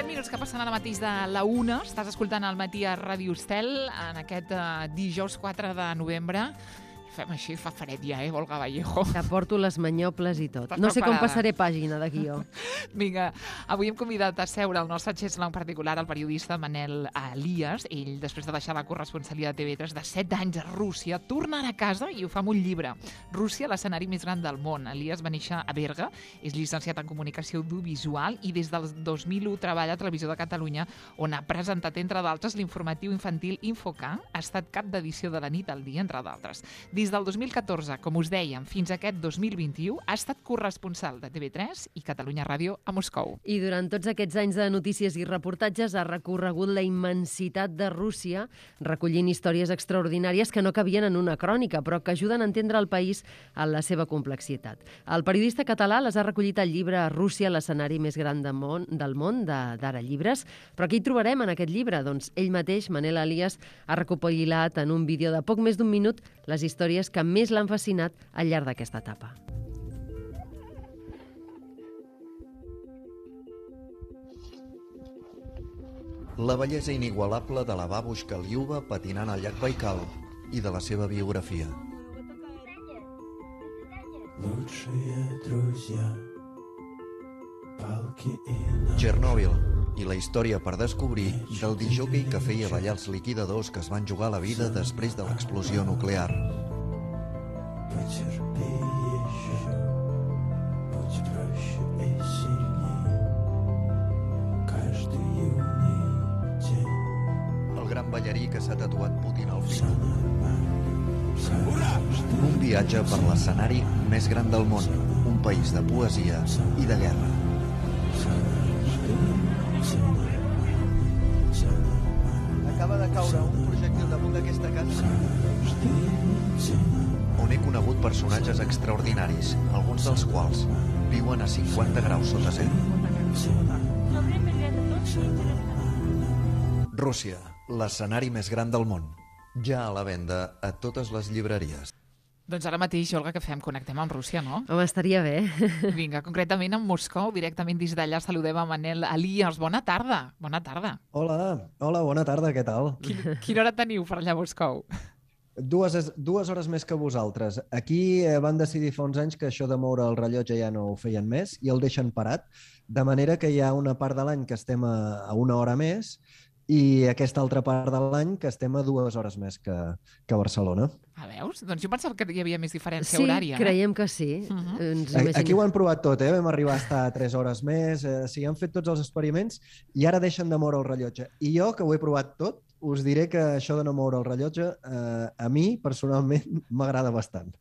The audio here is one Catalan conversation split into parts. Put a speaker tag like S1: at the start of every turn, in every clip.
S1: 7 minuts que passen ara mateix de la 1. Estàs escoltant el Matí a Ràdio Estel en aquest dijous 4 de novembre. Fem així, fa fred ja, Olga Vallejo?
S2: Que porto les manyoples i tot.
S1: Estàs
S2: No sé com
S1: preparada?
S2: passaré pàgina de guió.
S1: Vinga, avui hem convidat a seure el nostre xesla, en particular el periodista Manel Elias. Ell, després de deixar la corresponsalitat de TV3 de 7 anys a Rússia, tornarà a casa i ho fa amb un llibre. Rússia, l'escenari més gran del món. Elias va néixer a Berga, és llicenciat en comunicació audiovisual i des del 2001 treballa a Televisió de Catalunya, on ha presentat, entre d'altres, l'informatiu infantil Infoca. Ha estat cap d'edició de la nit al dia, entre d'altres. Des del 2014, com us dèiem, fins a aquest 2021, ha estat corresponsal de TV3 i Catalunya Ràdio a Moscou.
S2: I durant tots aquests anys de notícies i reportatges ha recorregut la immensitat de Rússia, recollint històries extraordinàries que no cabien en una crònica, però que ajuden a entendre el país en la seva complexitat. El periodista català les ha recollit al llibre Rússia, l'escenari més gran del món, d'Ara Llibres. Però què hi trobarem en aquest llibre? Doncs ell mateix, Manel Elias, ha recopilat en un vídeo de poc més d'un minut les històries que més l'han fascinat al llarg d'aquesta etapa.
S3: La bellesa inigualable de la babushka Liuba patinant al llac Baikal i de la seva biografia. Chernobyl i la història per descobrir del disjockey que feia ballar els liquidadors que es van jugar la vida després de l'explosió nuclear. El gran ballarí que s'ha tatuat Putin al fill. Un viatge per l'escenari més gran del món, un país de poesia i de guerra. Acaba de caure un projectil damunt d'aquesta casa on he conegut personatges extraordinaris, alguns dels quals viuen a 50 graus sota zero. Rússia, l'escenari més gran del món. Ja a la venda a totes les llibreries.
S1: Doncs ara mateix, Olga, què fem? Connectem amb Rússia, no?
S2: Home, estaria bé.
S1: Vinga, concretament amb Moscou, directament des d'allà saludem a Manel Elias. Bona tarda. Bona tarda.
S4: Hola, bona tarda, què tal?
S1: Quina hora teniu per allà a Moscou?
S4: Dues hores més que vosaltres. Aquí van decidir fa uns anys que això de moure el rellotge ja no ho feien més i el deixen parat, de manera que hi ha una part de l'any que estem a una hora més i aquesta altra part de l'any que estem a 2 hores més que Barcelona.
S1: Ah, veus? Doncs jo pensava que hi havia més diferència
S2: Sí,
S1: horària.
S2: creiem que sí.
S4: Aquí ho han provat tot, vam arribar a estar 3 hores més, sí, han fet tots els experiments i ara deixen de moure el rellotge. I jo, que ho he provat tot, us diré que això de no moure el rellotge a mi, personalment, m'agrada bastant.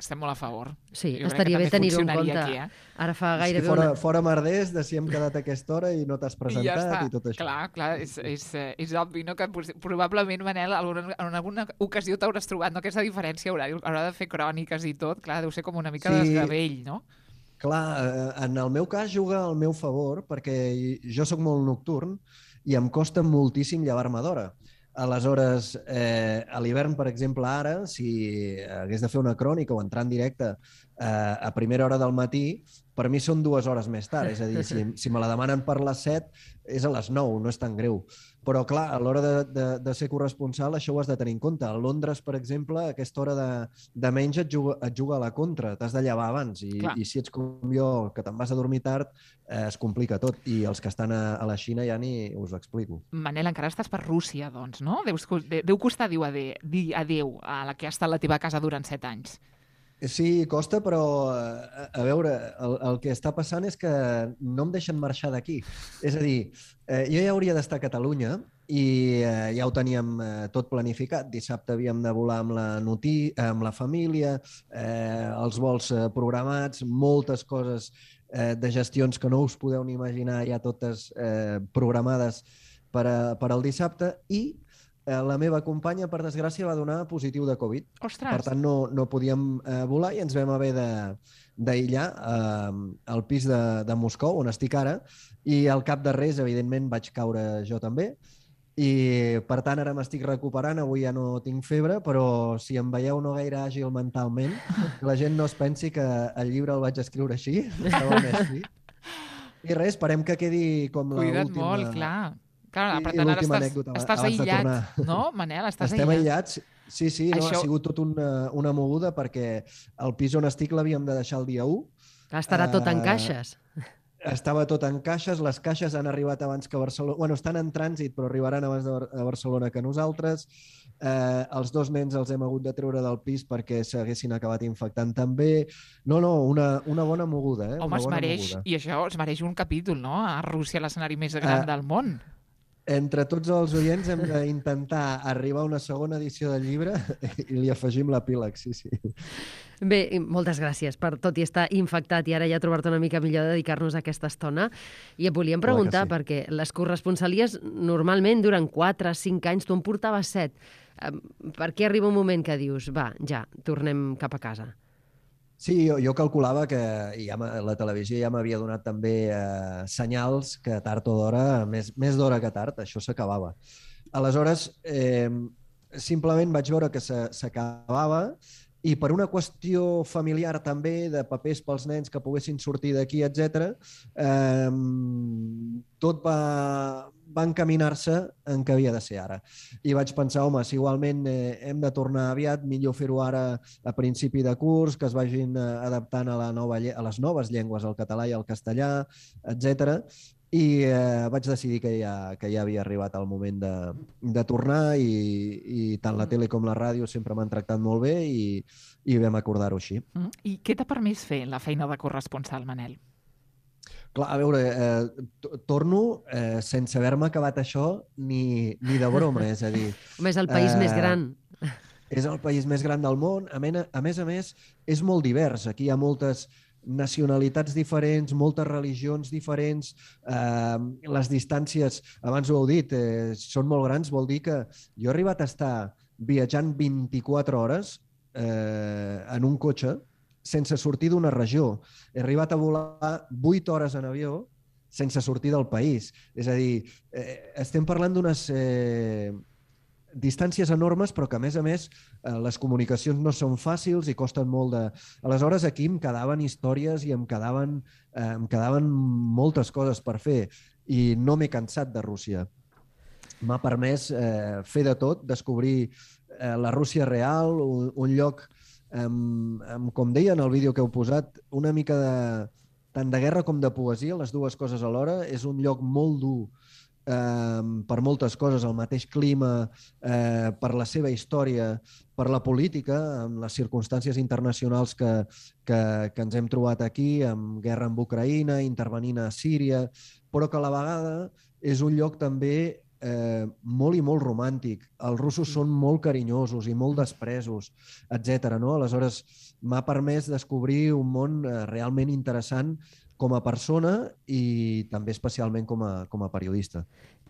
S1: Estem molt a favor.
S2: Sí,
S1: Jo crec
S2: estaria
S1: que
S2: bé
S1: també
S2: tenir-ho en
S1: funcionaria
S2: compte.
S1: aquí,
S2: Ara fa
S4: És
S2: gairebé
S4: que fora merders de si hem quedat a aquesta hora i no t'has
S1: I ja
S4: presentat
S1: està.
S4: i tot això.
S1: Clar, és obvi, no? Que probablement, Manel, en alguna ocasió t'hauràs trobat, no? Aquesta diferència horària, a l'hora de fer cròniques i tot, clar, deu ser com una mica
S4: Sí.
S1: desgavell, no?
S4: Clar, en el meu cas juga al meu favor perquè jo sóc molt nocturn i em costa moltíssim llevar-me d'hora. Aleshores, a l'hivern, per exemple, ara, si hagués de fer una crònica o entrar en directe a primera hora del matí, per mi són 2 hores més tard. És a dir, si me la demanen per les 7, és a les 9, no és tan greu. Però, clar, a l'hora de ser corresponsal, això ho has de tenir en compte. A Londres, per exemple, a aquesta hora de menys et juga a la contra. T'has de llevar abans. I si ets com jo, que te'n vas a dormir tard, es complica tot. I els que estan a la Xina ja ni us ho explico.
S1: Manel, encara estàs per Rússia, doncs, no? Deu costar dir adéu a la que ha estat la teva casa durant 7 anys.
S4: Sí, costa, però a veure, el que està passant és que no em deixen marxar d'aquí. És a dir, jo ja hauria d'estar a Catalunya i ja ho teníem tot planificat. Dissabte havíem de volar amb la família, els vols programats, moltes coses de gestions que no us podeu ni imaginar, ja totes programades per al dissabte, i la meva companya, per desgràcia, va donar positiu de Covid.
S1: Ostres!
S4: Per tant, no podíem volar i ens vam haver d'aïllar al pis de Moscou, on estic ara, i al cap de res, evidentment, vaig caure jo també. I, per tant, ara m'estic recuperant, avui ja no tinc febre, però si em veieu no gaire àgil mentalment, que la gent no es pensi que el llibre el vaig escriure així, estava més fi. I res, esperem que quedi com
S1: Cuida't
S4: l'última...
S1: molt, clar. Clar, per
S4: I
S1: tant, ara
S4: l'última anècdota
S1: estàs
S4: abans de
S1: aïllat,
S4: tornar.
S1: no, Manel? Estàs
S4: Estem
S1: aïllat.
S4: aïllats. Sí, no,
S1: Això...
S4: ha sigut tot una moguda perquè el pis on estic l'havíem de deixar el dia 1.
S2: Estarà tot en caixes.
S4: Estava tot en caixes, les caixes han arribat abans que Barcelona... Bueno, estan en trànsit, però arribaran abans a Barcelona que nosaltres. Els 2 nens els hem hagut de treure del pis perquè s'haguessin acabat infectant també. No, una bona moguda.
S1: Home,
S4: una bona moguda.
S1: I això es mereix un capítol, no? A Rússia, l'escenari més gran del món.
S4: Entre tots els oients hem d'intentar arribar a una segona edició del llibre i li afegim l'epíleg, sí.
S2: Bé, moltes gràcies per tot i estar infectat i ara ja trobar-te una mica millor de dedicar-nos a aquesta estona. I et volíem preguntar, perquè les corresponsalies normalment duren 4 o 5 anys, tu en portaves 7. Per què arriba un moment que dius, va, ja, tornem cap a casa?
S4: Sí, jo calculava que la televisió ja m'havia donat també senyals que tard o d'hora, més d'hora que tard, això s'acabava. Aleshores, simplement vaig veure que s'acabava i per una qüestió familiar també, de papers pels nens que poguessin sortir d'aquí, etc., tot va encaminar-se en què havia de ser ara. I vaig pensar, home, si igualment hem de tornar aviat, millor fer-ho ara a principi de curs, que es vagin adaptant a les noves llengües, el català i el castellà, etc. I vaig decidir que ja havia arribat el moment de tornar i tant la tele com la ràdio sempre m'han tractat molt bé i vam acordar-ho així.
S1: I què t'ha permès fer la feina de corresponsal, Manel?
S4: Clar, a veure, torno sense haver-me acabat això ni de broma, és a dir...
S2: Home, és el país més gran.
S4: És el país més gran del món. A més, és molt divers. Aquí hi ha moltes nacionalitats diferents, moltes religions diferents, les distàncies, abans ho heu dit, són molt grans, vol dir que jo he arribat a estar viatjant 24 hores en un cotxe sense sortir d'una regió. He arribat a volar 8 hores en avió sense sortir del país. És a dir, estem parlant d'unes distàncies enormes, però que, a més, les comunicacions no són fàcils i costen molt de... Aleshores, aquí em quedaven històries i em quedaven moltes coses per fer i no m'he cansat de Rússia. M'ha permès fer de tot, descobrir la Rússia real, un lloc, com deia en el vídeo que heu posat, una mica tant de guerra com de poesia, les dues coses alhora. És un lloc molt dur per moltes coses, el mateix clima, per la seva història, per la política, amb les circumstàncies internacionals que ens hem trobat aquí, amb guerra amb Ucraïna, intervenint a Síria, però que a la vegada és un lloc també molt i molt romàntic. Els russos són molt carinyosos i molt despresos, etc. Aleshores, m'ha permès descobrir un món realment interessant com a persona i també especialment com a periodista.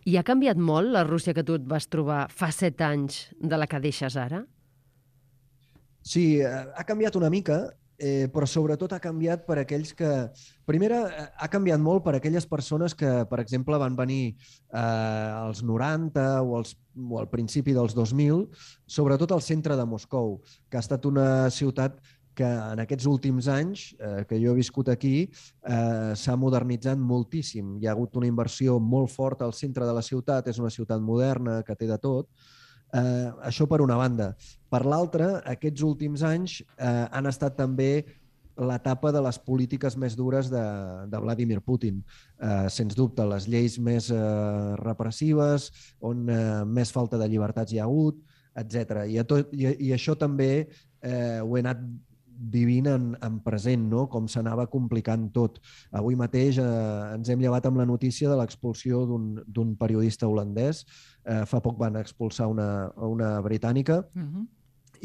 S2: I ha canviat molt la Rússia que tu et vas trobar fa 7 anys de la que deixes ara?
S4: Sí, ha canviat una mica, però sobretot ha canviat per aquells que... Primera, ha canviat molt per aquelles persones que, per exemple, van venir als 90 o al principi dels 2000, sobretot al centre de Moscou, que ha estat una ciutat que en aquests últims anys que jo he viscut aquí s'ha modernitzat moltíssim. Hi ha hagut una inversió molt forta al centre de la ciutat, és una ciutat moderna que té de tot. Això per una banda. Per l'altra, aquests últims anys han estat també l'etapa de les polítiques més dures de Vladimir Putin. Sens dubte, les lleis més repressives, on més falta de llibertats hi ha hagut, etc. I això també ho he anat vivint en present, no? Com s'anava complicant tot. Avui mateix ens hem llevat amb la notícia de l'expulsió d'un periodista holandès. Fa poc van expulsar una britànica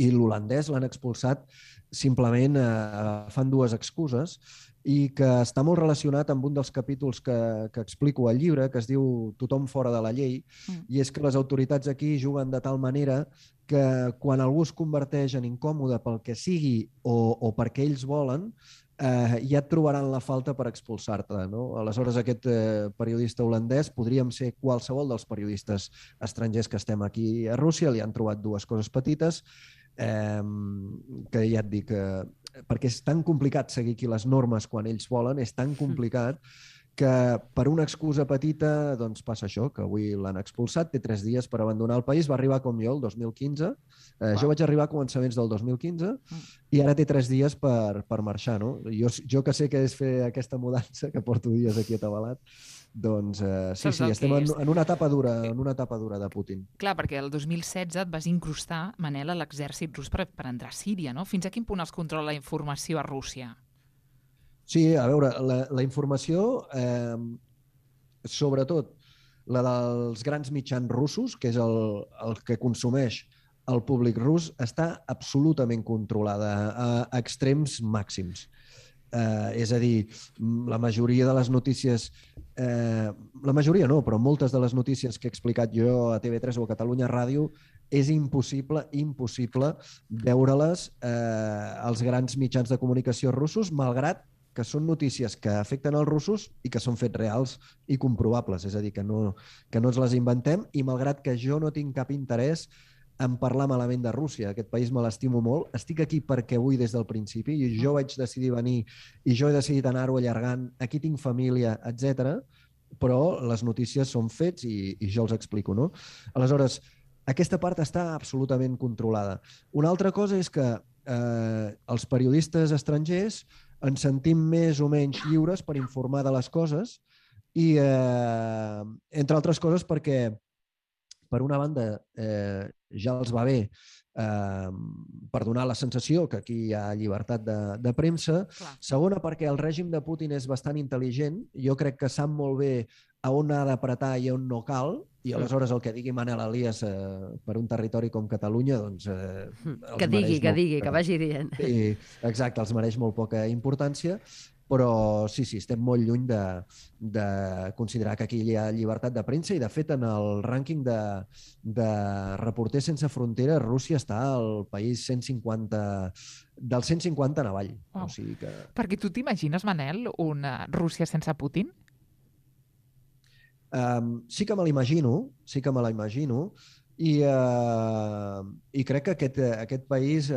S4: i l'holandès l'han expulsat simplement agafant dues excuses i que està molt relacionat amb un dels capítols que explico al llibre, que es diu Tothom fora de la llei, i és que les autoritats aquí juguen de tal manera que quan algú es converteix en incòmode pel que sigui o perquè ells volen, ja et trobaran la falta per expulsar-te. Aleshores, aquest periodista holandès podríem ser qualsevol dels periodistes estrangers que estem aquí a Rússia, li han trobat dues coses petites, que ja et dic, perquè és tan complicat seguir aquí les normes quan ells volen, és tan complicat que per una excusa petita doncs passa això, que avui l'han expulsat, té 3 dies per abandonar el país, va arribar com jo el 2015, jo vaig arribar a començaments del 2015 i ara té 3 dies per marxar, no? Jo que sé que és fer aquesta mudança, que porto dies aquí atabalat, doncs sí, estem en una etapa dura de Putin.
S1: Clar, perquè el 2016 et vas incrustar, Manel, a l'exèrcit rus per entrar a Síria, no? Fins a quin punt es controla la informació a Rússia?
S4: Sí, a veure, la informació, sobretot la dels grans mitjans russos, que és el que consumeix el públic rus, està absolutament controlada a extrems màxims. És a dir, la majoria de les notícies, la majoria no, però moltes de les notícies que he explicat jo a TV3 o a Catalunya Ràdio, és impossible veure-les als grans mitjans de comunicació russos, malgrat que són notícies que afecten els russos i que són fets reals i comprovables. És a dir, que no ens les inventem i malgrat que jo no tinc cap interès en parlar malament de Rússia, aquest país me l'estimo molt, estic aquí perquè vull des del principi i jo vaig decidir venir i jo he decidit anar-ho allargant, aquí tinc família, etc. Però les notícies són fets i jo els explico, no? Aleshores, aquesta part està absolutament controlada. Una altra cosa és que els periodistes estrangers ens sentim més o menys lliures per informar de les coses i, entre altres coses, perquè, per una banda, ja els va bé per donar la sensació que aquí hi ha llibertat de premsa.
S1: Clar.
S4: Segona, perquè el règim de Putin és bastant intel·ligent. Jo crec que sap molt bé a on ha d'apretar i on no cal, i aleshores el que digui Manel Elias per un territori com Catalunya, doncs...
S2: Que digui, que vagi dient.
S4: Sí, exacte, els mereix molt poca importància, però sí, estem molt lluny de considerar que aquí hi ha llibertat de premsa i, de fet, en el rànquing de Reporters Sense Fronteres, Rússia està al país 150, del 150 en avall.
S1: Wow.
S4: O sigui que...
S1: Perquè tu t'imagines, Manel, una Rússia sense Putin?
S4: Sí que me l'imagino i crec que aquest país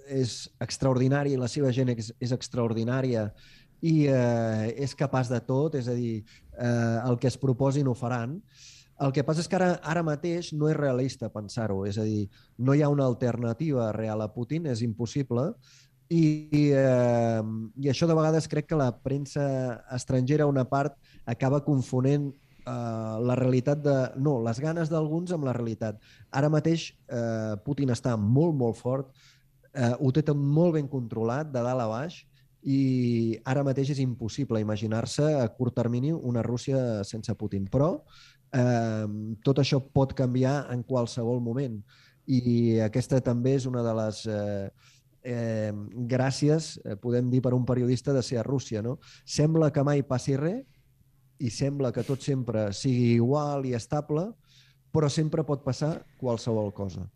S4: és extraordinari, la seva gent és extraordinària i és capaç de tot, és a dir, el que es proposin ho faran. El que passa és que ara mateix no és realista pensar-ho, és a dir, no hi ha una alternativa real a Putin, és impossible. I això de vegades crec que la premsa estrangera, una part, acaba confonent la realitat les ganes d'alguns amb la realitat. Ara mateix Putin està molt, molt fort, ho té tot molt ben controlat, de dalt a baix, i ara mateix és impossible imaginar-se a curt termini una Rússia sense Putin. Però tot això pot canviar en qualsevol moment. I aquesta també és una de les... gràcies, podem dir, per un periodista de ser a Rússia, no? Sembla que mai passi res i sembla que tot sempre sigui igual i estable, però sempre pot passar qualsevol cosa.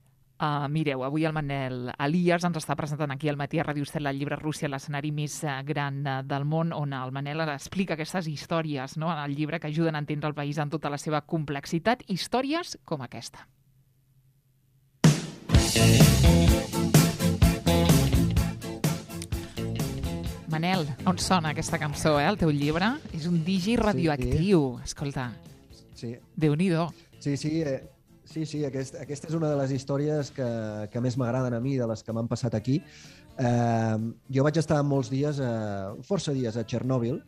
S1: Mireu, avui el Manel Elias ens està presentant aquí al matí a Ràdio Estel el llibre Rússia, l'escenari més gran del món, on el Manel explica aquestes històries, no?, en el llibre, que ajuden a entendre el país en tota la seva complexitat, històries com aquesta. Manel, on sona aquesta cançó, el teu llibre? És un digi radioactiu, escolta.
S4: Sí.
S1: Déu-n'hi-do.
S4: Sí, aquesta és una de les històries que més m'agraden a mi, de les que m'han passat aquí. Jo vaig estar molts dies, força dies, a Txernòbil.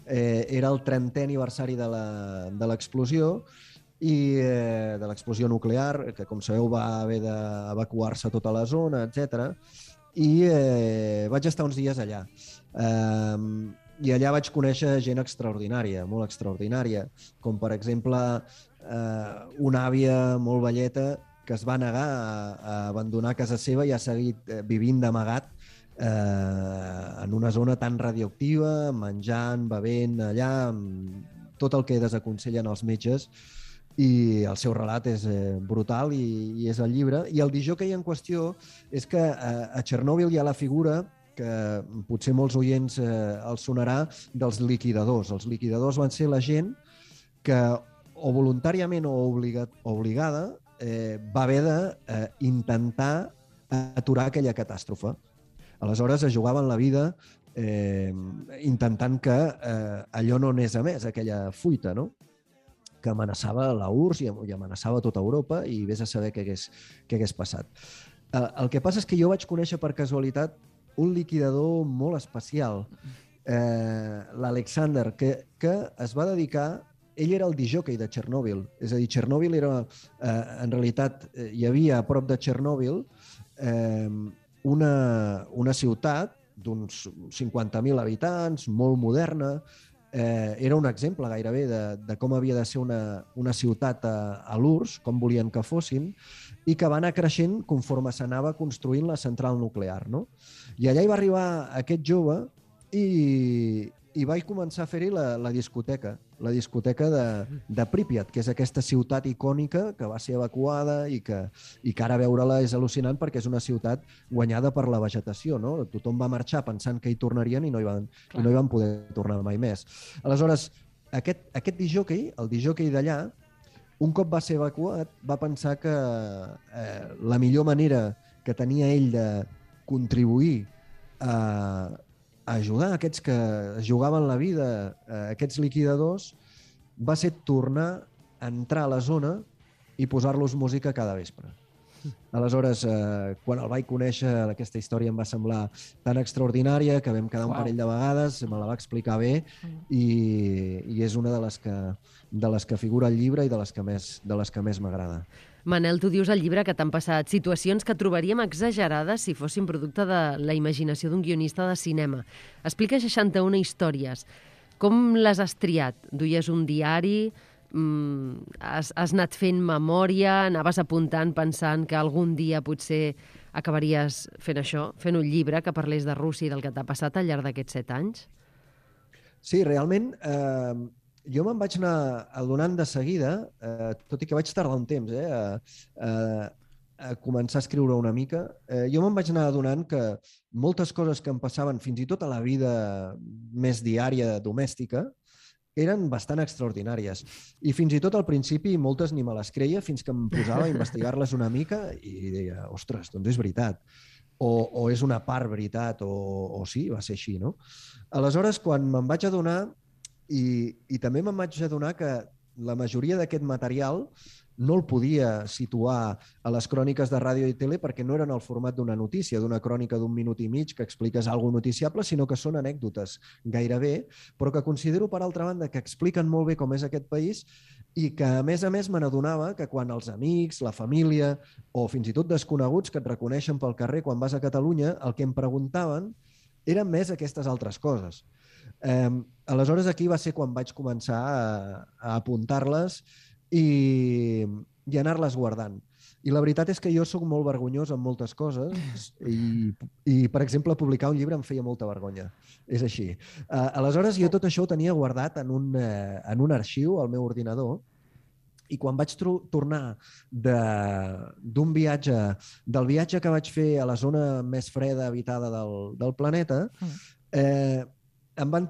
S4: Era el 30è aniversari de l'explosió i de l'explosió nuclear, que, com sabeu, va haver d'evacuar-se tota la zona, etc. I vaig estar uns dies allà. I allà vaig conèixer gent extraordinària, molt extraordinària, com per exemple una àvia molt velleta que es va negar a abandonar casa seva i ha seguit vivint d'amagat en una zona tan radioactiva, menjant, bevent allà, tot el que desaconsellen els metges, i el seu relat és brutal i és el llibre. I el disjockey en qüestió és que a Txernòbil hi ha la figura que potser molts oients els sonarà, dels liquidadors. Els liquidadors van ser la gent que, o voluntàriament o obligada, va haver d'intentar aturar aquella catàstrofe. Aleshores es jugaven la vida intentant que allò no anés a més, aquella fuita, no? Que amenaçava la URSS i amenaçava tota Europa i vés a saber què hagués passat. El que passa és que jo vaig conèixer per casualitat un liquidador molt especial, l'Alexander, que es va dedicar... Ell era el discjòquei de Txernòbil. És a dir, Txernòbil era... en realitat, hi havia a prop de Txernòbil una ciutat d'uns 50.000 habitants, molt moderna. Era un exemple gairebé de com havia de ser una ciutat a l'URSS, com volien que fossin, i que va anar creixent conforme s'anava construint la central nuclear, no? I allà hi va arribar aquest jove i vaig començar a fer-hi la discoteca de Pripyat, que és aquesta ciutat icònica que va ser evacuada i que ara veure-la és al·lucinant perquè és una ciutat guanyada per la vegetació, no? Tothom va marxar pensant que hi tornarien i no hi van poder tornar mai més. Aleshores, aquest discjòquei, el discjòquei d'allà, un cop va ser evacuat, va pensar que la millor manera que tenia ell de contribuir a ajudar aquests que es jugaven la vida, aquests liquidadors, va ser tornar a entrar a la zona i posar-los música cada vespre. Aleshores, quan el vaig conèixer, aquesta història em va semblar tan extraordinària que vam quedar un parell de vegades, me la va explicar bé i és una de les que figura al llibre i de les que més m'agrada.
S2: Manel, tu dius al llibre que t'han passat situacions que trobaríem exagerades si fossin producte de la imaginació d'un guionista de cinema. Explica 61 històries. Com les has triat? Duies un diari? Has anat fent memòria? Anaves apuntant pensant que algun dia potser acabaries fent això? Fent un llibre que parlés de Rússia i del que t'ha passat al llarg d'aquests 7 anys?
S4: Sí, realment... Jo me'n vaig anar adonant de seguida, tot i que vaig tardar un temps a començar a escriure una mica, jo me'n vaig anar adonant que moltes coses que em passaven fins i tot a la vida més diària domèstica eren bastant extraordinàries. I fins i tot al principi moltes ni me les creia fins que em posava a investigar-les una mica i deia, ostres, doncs és veritat. O és una part veritat, o sí, va ser així, no? Aleshores, quan me'n vaig adonar, i també me'n vaig adonar que la majoria d'aquest material no el podia situar a les cròniques de ràdio i tele perquè no eren el format d'una notícia, d'una crònica d'1 minut i mig que expliques alguna cosa noticiable, sinó que són anècdotes gairebé, però que considero, per altra banda, que expliquen molt bé com és aquest país i que, a més me n'adonava que quan els amics, la família o fins i tot desconeguts que et reconeixen pel carrer quan vas a Catalunya, el que em preguntaven eren més aquestes altres coses. Aleshores, aquí va ser quan vaig començar a apuntar-les i anar-les guardant. I la veritat és que jo sóc molt vergonyós en moltes coses i, per exemple, publicar un llibre em feia molta vergonya. És així. Aleshores, jo tot això ho tenia guardat en un arxiu al meu ordinador i quan vaig tornar del viatge que vaig fer a la zona més freda habitada del planeta, em van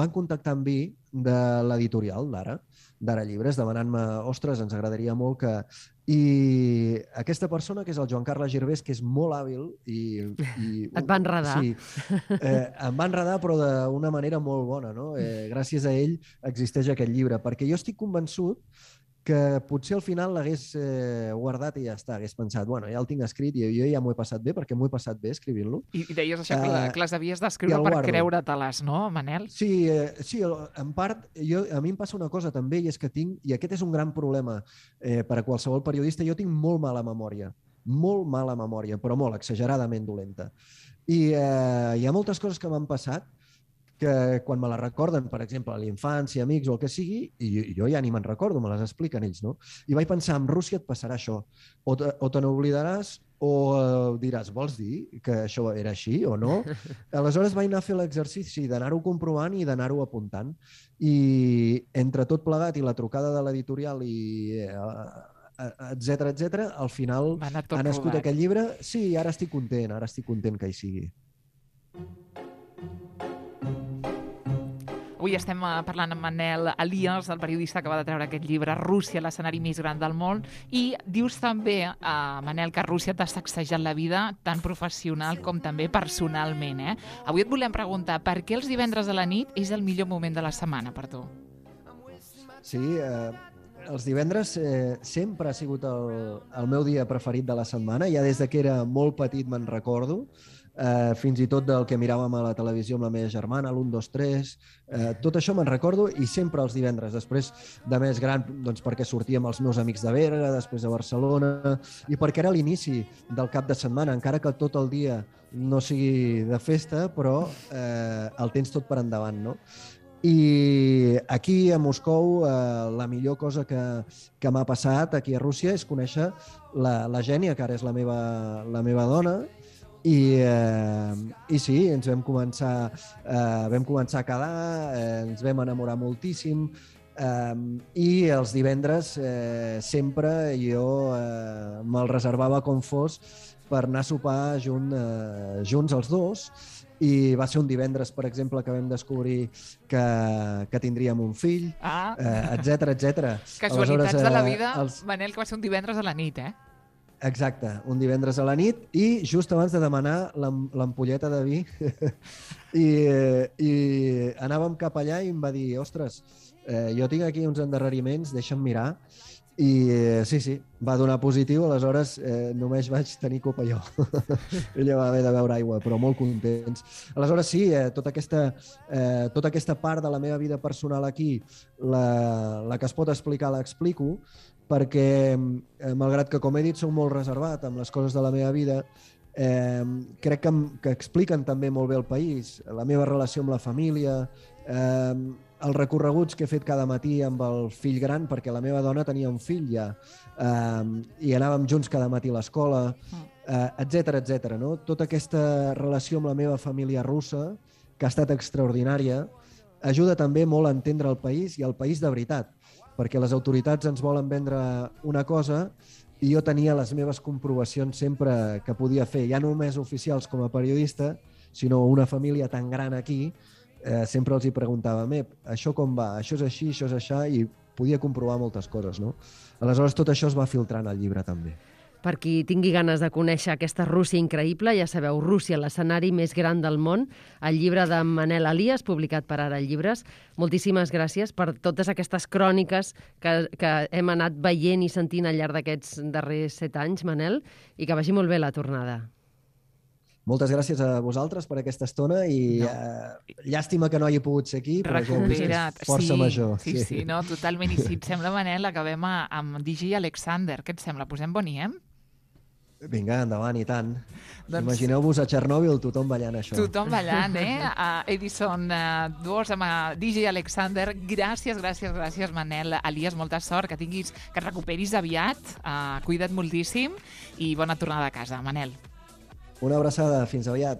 S4: contactar amb mi de l'editorial d'Ara Llibres, demanant-me, ostres, ens agradaria molt que... I aquesta persona, que és el Joan Carles Girbés, que és molt hàbil
S2: Et va enredar.
S4: Sí, em va enredar, però d'una manera molt bona, no? Gràcies a ell existeix aquest llibre, perquè jo estic convençut que potser al final l'hagués guardat i ja està, hagués pensat, bueno, ja el tinc escrit i jo ja m'ho he passat bé, perquè m'ho he passat bé escrivint-lo.
S1: I deies això, que les havies d'escriure per creure-te-les, no, Manel?
S4: Sí, en part, a mi em passa una cosa també, i és que tinc, i aquest és un gran problema per a qualsevol periodista, jo tinc molt mala memòria, però molt exageradament dolenta. I hi ha moltes coses que m'han passat que quan me la recorden, per exemple, a la infància, amics o el que sigui, i jo ja ni me'n recordo, me les expliquen ells, no? I vaig pensar, amb Rússia et passarà això. O te n'oblidaràs o diràs, vols dir que això era així o no? Aleshores vaig anar a fer l'exercici d'anar-ho comprovant i d'anar-ho apuntant. I entre tot plegat i la trucada de l'editorial i etcètera, al final ha nascut aquest llibre. Sí, ara estic content que hi sigui.
S1: Avui estem parlant amb Manel Elias, el periodista que va de treure aquest llibre Rússia, l'escenari més gran del món, i dius també, Manel, que Rússia t'ha sacsejat la vida tant professional com també personalment. Avui et volem preguntar per què els divendres a la nit és el millor moment de la setmana per tu?
S4: Sí, els divendres sempre ha sigut el meu dia preferit de la setmana. Ja des que era molt petit me'n recordo, fins i tot del que miràvem a la televisió amb la meva germana, l'1, 2, 3, tot això me'n recordo, i sempre els divendres. Després de més gran, doncs perquè sortíem els meus amics de Berga, després de Barcelona, i perquè era l'inici del cap de setmana, encara que tot el dia no sigui de festa, però el tens tot per endavant, no? I aquí a Moscou la millor cosa que m'ha passat aquí a Rússia és conèixer la Gènia, que ara és la meva dona, i sí, ens vam començar a quedar, ens vam enamorar moltíssim, i els divendres sempre jo me'l reservava com fos per anar a sopar junts els dos. I va ser un divendres, per exemple, que vam descobrir que tindríem un fill, etcètera.
S1: Casualitats de la vida, Manel, que va ser un divendres a la nit,
S4: Exacte, un divendres a la nit, i just abans de demanar l'ampolleta de vi i anàvem cap allà i em va dir, ostres, jo tinc aquí uns endarreriments, deixa'm mirar. I sí, va donar positiu, aleshores només vaig tenir copa jo. Ella va haver de beure aigua, però molt contents. Aleshores sí, tota aquesta part de la meva vida personal aquí, la que es pot explicar l'explico, perquè malgrat que, com he dit, soc molt reservat amb les coses de la meva vida, crec que expliquen també molt bé el país, la meva relació amb la família, els recorreguts que he fet cada matí amb el fill gran, perquè la meva dona tenia un fill ja, i anàvem junts cada matí a l'escola, etcètera, no? Tota aquesta relació amb la meva família russa, que ha estat extraordinària, ajuda també molt a entendre el país, i el país de veritat, perquè les autoritats ens volen vendre una cosa i jo tenia les meves comprovacions sempre que podia fer, ja no només oficials com a periodista, sinó una família tan gran aquí, sempre els hi preguntava, això com va? Això és així, això és això, i podia comprovar moltes coses, no? Aleshores, tot això es va filtrant al llibre també.
S2: Per qui tingui ganes de conèixer aquesta Rússia increïble, ja sabeu, Rússia, l'escenari més gran del món, el llibre de Manel Elias, publicat per Ara Llibres. Moltíssimes gràcies per totes aquestes cròniques que hem anat veient i sentint al llarg d'aquests darrers 7 anys, Manel, i que vagi molt bé la tornada.
S4: Moltes gràcies a vosaltres per aquesta estona i llàstima que no hagi pogut ser aquí, però
S1: recupera't.
S4: És força major.
S1: Sí, no, totalment. I si et sembla, Manel, acabem amb DJ Alexander. Què et sembla? Posem Boniem?
S4: Vinga, endavant, i tant. Imagineu-vos a Txernòbil tothom ballant això.
S1: Tothom ballant, a Edison 2 amb DJ Alexander. Gràcies, Manel Elias. Molta sort, que et recuperis aviat. Cuida't moltíssim i bona tornada a casa, Manel.
S4: Una abraçada, fins aviat.